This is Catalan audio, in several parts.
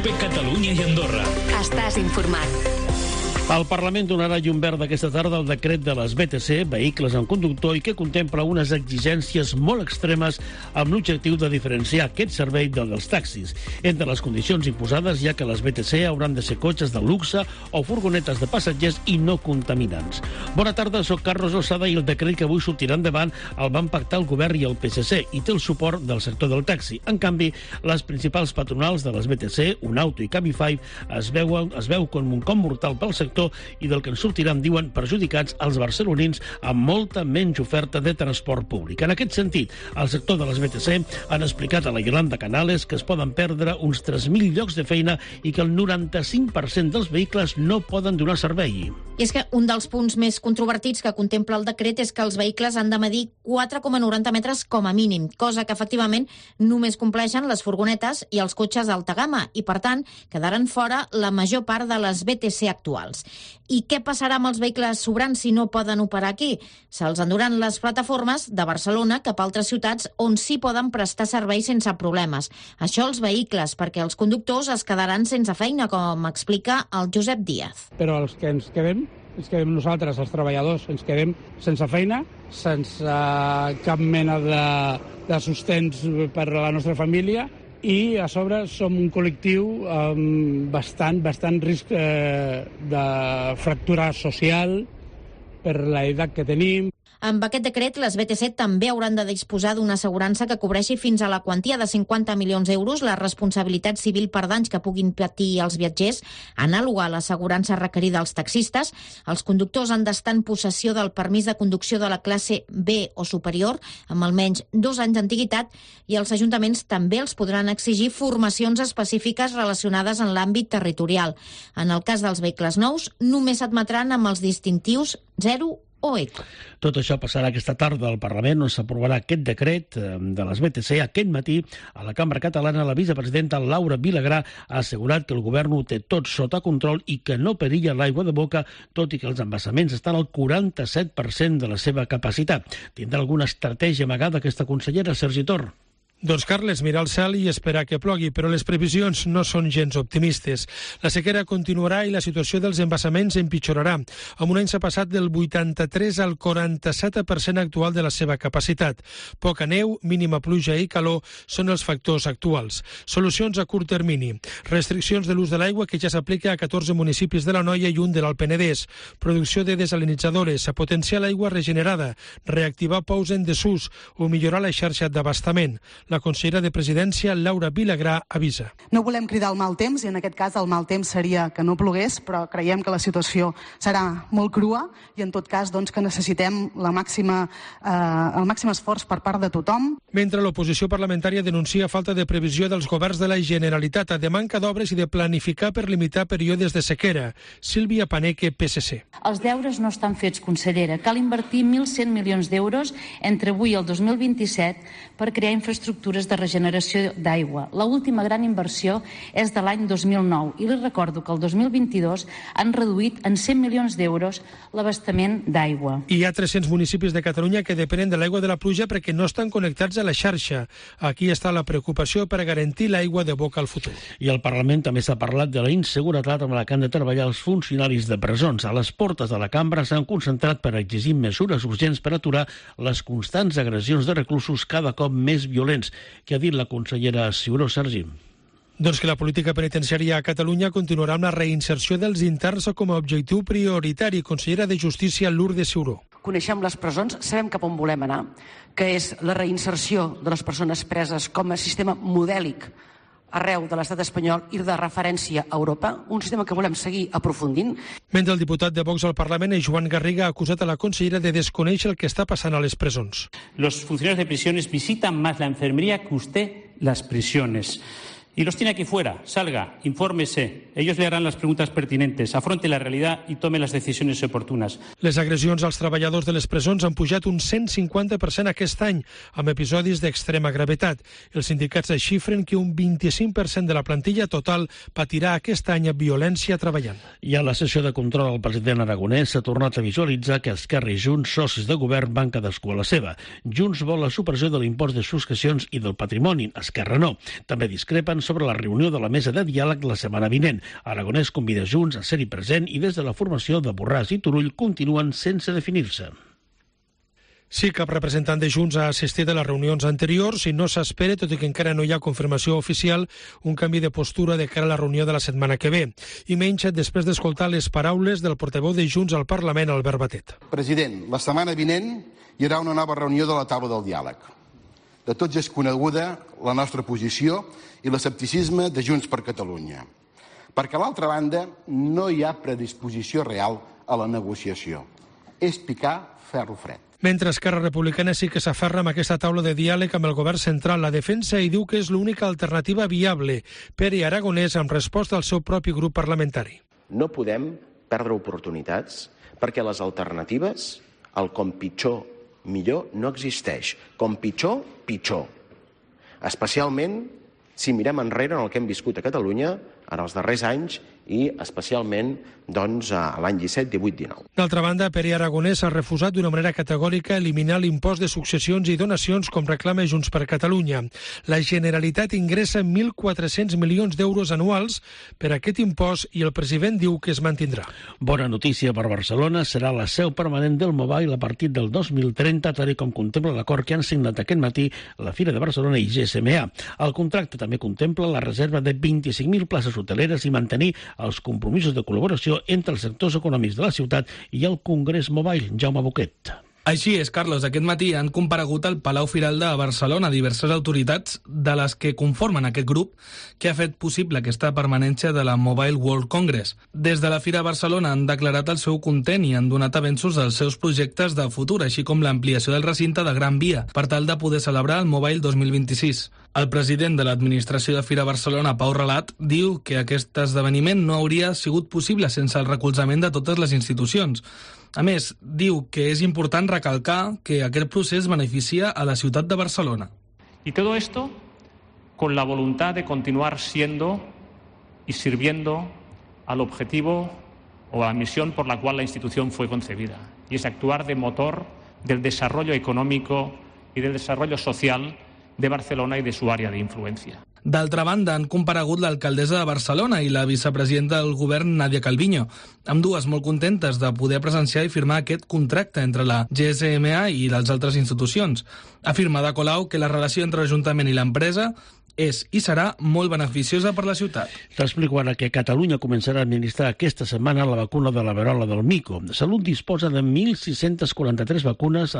COPE Catalunya i Andorra. Estàs informat. El Parlament donarà llum verda aquesta tarda al decret de les BTC, vehicles amb conductor, i que contempla unes exigències molt extremes amb l'objectiu de diferenciar aquest servei del dels taxis. Entre les condicions imposades hi ha que les BTC hauran de ser cotxes de luxe o furgonetes de passatgers i no contaminants. Bona tarda, soc Carlos Osada i el decret que avui sortirà endavant el van pactar el govern i el PSC i té el suport del sector del taxi. En canvi, les principals patronals de les BTC, Unauto i Cabify, es veu com un cop mortal pel sector i del que en sortiran, diuen, perjudicats els barcelonins amb molta menys oferta de transport públic. En aquest sentit, el sector de les BTC han explicat a la Yolanda Canales que es poden perdre uns 3.000 llocs de feina i que el 95% dels vehicles no poden donar servei. I és que un dels punts més controvertits que contempla el decret és que els vehicles han de medir 4,90 metres com a mínim, cosa que efectivament només compleixen les furgonetes i els cotxes d'alta gamma i, per tant, quedaran fora la major part de les BTC actuals. I què passarà amb els vehicles sobrants si no poden operar aquí? Se'ls enduran les plataformes de Barcelona cap a altres ciutats on sí poden prestar serveis sense problemes. Això els vehicles, perquè els conductors es quedaran sense feina, com explica el Josep Díaz. Però els que ens quedem nosaltres, els treballadors, ens quedem sense feina, sense cap mena de sostens per a la nostra família, i a sobre som un col·lectiu amb bastant risc de fractura social per l'edat que tenim. Amb aquest decret, les BTC també hauran de disposar d'una assegurança que cobreixi fins a la quantia de 50 milions d'euros la responsabilitat civil per danys que puguin patir els viatgers, anàloga a l'assegurança requerida als taxistes. Els conductors han d'estar en possessió del permís de conducció de la classe B o superior, amb almenys 2 anys d'antiguitat, i els ajuntaments també els podran exigir formacions específiques relacionades en l'àmbit territorial. En el cas dels vehicles nous, només s'admetran amb els distintius 0 o eco. Tot això passarà aquesta tarda al Parlament, on s'aprovarà aquest decret de les BTC. Aquest matí, a la Cambra Catalana, la vicepresidenta Laura Vilagrà ha assegurat que el govern ho té tot sota control i que no perilla l'aigua de boca, tot i que els embassaments estan al 47% de la seva capacitat. Tindrà alguna estratègia amagada aquesta consellera, Sergi Tor? Doncs, Carles, mirar al cel i esperar que plogui, però les previsions no són gens optimistes. La sequera continuarà i la situació dels embassaments empitjorarà. Amb un any s'ha passat del 83 al 47% actual de la seva capacitat. Poca neu, mínima pluja i calor són els factors actuals. Solucions a curt termini. Restriccions de l'ús de l'aigua que ja s'aplica a 14 municipis de la Noia i un de l'Alt Penedès. Producció de desalinitzadores, a potenciar l'aigua regenerada, reactivar pous en desús o millorar la xarxa d'abastament. La consellera de Presidència, Laura Vilagrà, avisa. No volem cridar el mal temps, i en aquest cas el mal temps seria que no plogués, però creiem que la situació serà molt crua i en tot cas que necessitem el màxim esforç per part de tothom. Mentre l'oposició parlamentària denuncia falta de previsió dels governs de la Generalitat, de manca d'obres i de planificar per limitar períodes de sequera. Sílvia Paneque, PSC. Els deures no estan fets, consellera. Cal invertir 1.100 milions d'euros entre avui i el 2027 per crear infraestructures de regeneració d'aigua. L'última gran inversió és de l'any 2009 i li recordo que el 2022 han reduït en 100 milions d'euros l'abastament d'aigua. Hi ha 300 municipis de Catalunya que depenen de l'aigua de la pluja perquè no estan connectats a la xarxa. Aquí està la preocupació per a garantir l'aigua de boca al futur. I al Parlament també s'ha parlat de la inseguretat amb la que han de treballar els funcionaris de presons. A les portes de la cambra s'han concentrat per exigir mesures urgents per aturar les constants agressions de reclusos cada cop més violents. Què ha dit la consellera Ciuró, Sergi? Doncs que la política penitenciària a Catalunya continuarà amb la reinserció dels interns com a objectiu prioritari. Consellera de Justícia, Lourdes Ciuró. Coneixem les presons, sabem cap on volem anar, que és la reinserció de les persones preses com a sistema modèlic arreu de l'estat espanyol i de referència a Europa, un sistema que volem seguir aprofundint. Mentre el diputat de Vox al Parlament, Joan Garriga, ha acusat a la consellera de desconèixer el que està passant a les presons. Los funcionarios de prisiones visitan más la enfermería que usted las prisiones. Y los tiene aquí fuera. Salga, infórmese. Ellos le harán las preguntas pertinentes, afronte la realidad y tome las decisiones oportunas. Les agressions als treballadors de les presons han pujat un 150% aquest any, amb episodis d'extrema gravetat. Els sindicats xifren que un 25% de la plantilla total patirà aquest any violència treballant. I a la sessió de control al president aragonès s'ha tornat a visualitzar que Esquerra i Junts, socis de govern, van cadascú a la seva. Junts vol la supressió de l'impost de successions i del patrimoni. Esquerra no. També discrepen sobre la reunió de la mesa de diàleg la setmana vinent. Aragonès convida Junts a ser-hi present i des de la formació de Borràs i Turull continuen sense definir-se. Sí, cap representant de Junts ha assistit a les reunions anteriors i no s'espera, tot i que encara no hi ha confirmació oficial, un canvi de postura de cara a la reunió de la setmana que ve. I menys després d'escoltar les paraules del portaveu de Junts al Parlament, Albert Batet. President, la setmana vinent hi haurà una nova reunió de la taula del diàleg. De tots és coneguda la nostra posició i l'escepticisme de Junts per Catalunya. Perquè, a l'altra banda, no hi ha predisposició real a la negociació. És picar ferro fred. Mentre Esquerra Republicana sí que s'aferra amb aquesta taula de diàleg amb el govern central, la defensa i diu que és l'única alternativa viable. Pere Aragonès, amb resposta al seu propi grup parlamentari. No podem perdre oportunitats perquè les alternatives, el com pitjor, millor, no existeix. Com pitjor, pitjor. Especialment si mirem enrere en el que hem viscut a Catalunya en els darrers anys i especialment l'any 17, 18, 19. D'altra banda, Pere Aragonès ha refusat d'una manera categòrica eliminar l'impost de successions i donacions com reclama Junts per Catalunya. La Generalitat ingressa 1.400 milions d'euros anuals per aquest impost i el president diu que es mantindrà. Bona notícia per Barcelona, serà la seu permanent del Mobile a partir del 2030, tal com contempla l'acord que han signat aquest matí la Fira de Barcelona i GSMA. El contracte també contempla la reserva de 25.000 places hoteleres i mantenir els compromisos de col·laboració entre els sectors econòmics de la ciutat i el Congrés Mobile. Jaume Boquet. Així és, Carlos. Aquest matí han comparegut al Palau Firal de Barcelona diverses autoritats de les que conformen aquest grup que ha fet possible aquesta permanència de la Mobile World Congress. Des de la Fira de Barcelona han declarat el seu content i han donat avenços dels seus projectes de futur, així com l'ampliació del recinte de Gran Via, per tal de poder celebrar el Mobile 2026. El president de l'administració de Fira Barcelona, Pau Relat, diu que aquest esdeveniment no hauria sigut possible sense el recolzament de totes les institucions. A més, diu que és important recalcar que aquest procés beneficia a la ciutat de Barcelona. Y todo esto con la voluntad de continuar siendo y sirviendo al objetivo o a la misión por la cual la institución fue concebida, y es actuar de motor del desarrollo económico y del desarrollo social de Barcelona y de su área de influencia. D'altra banda, han comparegut l'alcaldessa de Barcelona i la vicepresidenta del govern, Nadia Calviño, ambdues molt contentes de poder presenciar i firmar aquest contracte entre la GSMA i les altres institucions. Afirma Ada Colau que la relació entre l'Ajuntament i l'empresa és i serà molt beneficiosa per la ciutat. T'explico ara que Catalunya començarà a administrar aquesta setmana la vacuna de la verola del mico. Salut disposa de 1.643 vacunes que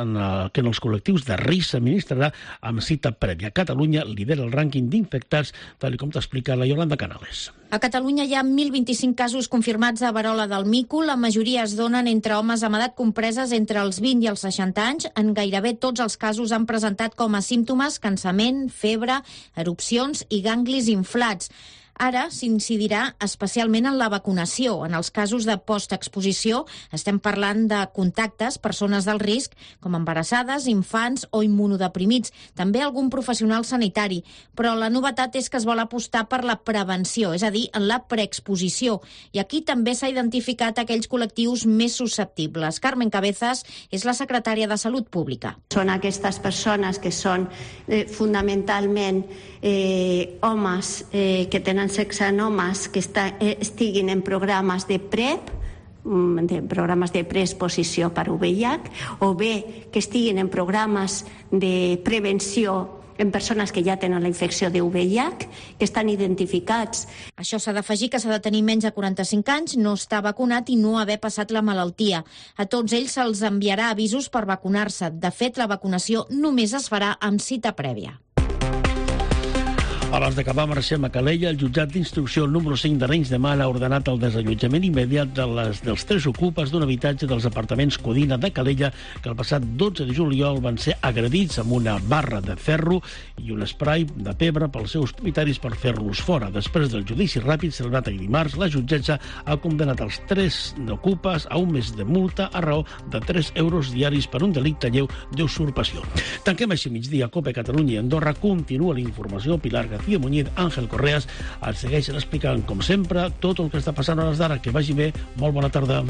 en els col·lectius de risc s'administrarà amb cita prèvia. Catalunya lidera el rànquing d'infectats, tal com t'explica la Yolanda Canales. A Catalunya hi ha 1.025 casos confirmats de verola del mico. La majoria es donen entre homes amb edat compreses entre els 20 i els 60 anys. En gairebé tots els casos han presentat com a símptomes cansament, febre, erupcions i ganglis inflats. Ara s'incidirà especialment en la vacunació. En els casos de postexposició estem parlant de contactes, persones del risc, com embarassades, infants o immunodeprimits, també algun professional sanitari. Però la novetat és que es vol apostar per la prevenció, és a dir, en la preexposició. I aquí també s'ha identificat aquells col·lectius més susceptibles. Carmen Cabezas és la secretària de Salut Pública. Són aquestes persones que són fonamentalment homes que tenen sexe en homes que estiguin en programes de PrEP, programes de preexposició per VIH, o bé que estiguin en programes de prevenció en persones que ja tenen la infecció de VIH, que estan identificats. Això s'ha d'afegir que s'ha de tenir menys de 45 anys, no estar vacunat i no haver passat la malaltia. A tots ells se'ls enviarà avisos per vacunar-se. De fet, la vacunació només es farà amb cita prèvia. Abans d'acabar, marxem a Calella. El jutjat d'instrucció número 5 d'Arenys de Mar ha ordenat el desallotjament immediat dels 3 ocupes d'un habitatge dels apartaments Codina de Calella que el passat 12 de juliol van ser agredits amb una barra de ferro i un spray de pebre pels seus propietaris per fer-los fora. Després del judici ràpid celebrat ahir dimarts, la jutgessa ha condemnat els 3 ocupes a un mes de multa a raó de 3 euros diaris per un delicte lleu d'usurpació. Tanquem així migdia. COPE Catalunya i Andorra continua la informació. Pilar García Muñiz, Àngel Correas els segueixen explicant, com sempre, tot el que està passant a hores d'ara. Que vagi bé, molt bona tarda.